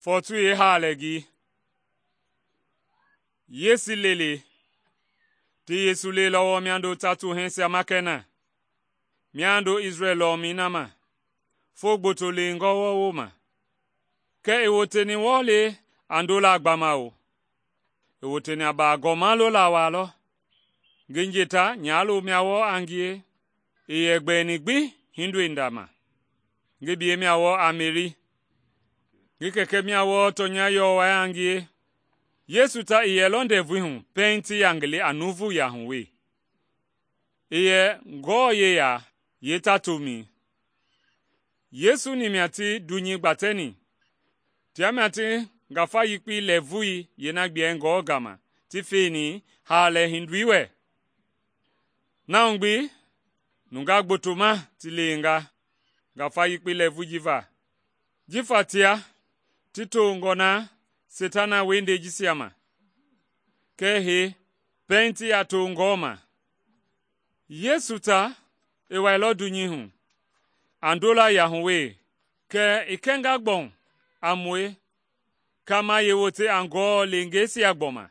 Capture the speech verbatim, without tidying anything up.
Fɔɔtu yeehaalɛi Yesu lele ti Yesu lelɔ wɔɔ miando tatu hɛɛsia ma kɛ na, miando Isrɛl lɔmɛi na ma, foo gboto lewengɔ wɔɔ wooma. Kɛɛ i woteni wɔɔ le a ndolaa gbamao, i woteni a baagɔma lola waa lɔ. Ngi njeta nyalo-mia wɔɔ a ngie, i yɛ gbɛɛni gbi hindoi nda ma. Ngi biyei mia wɔɔ a Meri, ngi kɛkɛ mia wɔɔ tɔnya yɔwɔi a ngie. Yesu ta i yɛlɔ ndɛvui hu pɛiŋ ti ya ngi le a nuuvuya hu we. I yɛ Ngewɔ yeya yeetatomɛi. Yesu-ni mia ti dunyei gbatɛni, tia mia ti ngafa yekpei lɛɛvui yeena gbuɛi Ngewɔ gama ti feni haalɛ hindoi wɛ. Na hu gbi nungaa gbotoma ti lewenga ngafa yekpei lɛɛvui ji va, jifa tia ti tongɔ na Seitana wiehindei jisia ma. Kɛɛ hee, pɛiŋ ti ya to Ngewɔ ma. Yesu ta i wailɔ dunyei hu a ndola yahu we, kɛ i kɛnga gbɔwu a mue, kama yeewote a Ngewɔ leengeisia gbɔma.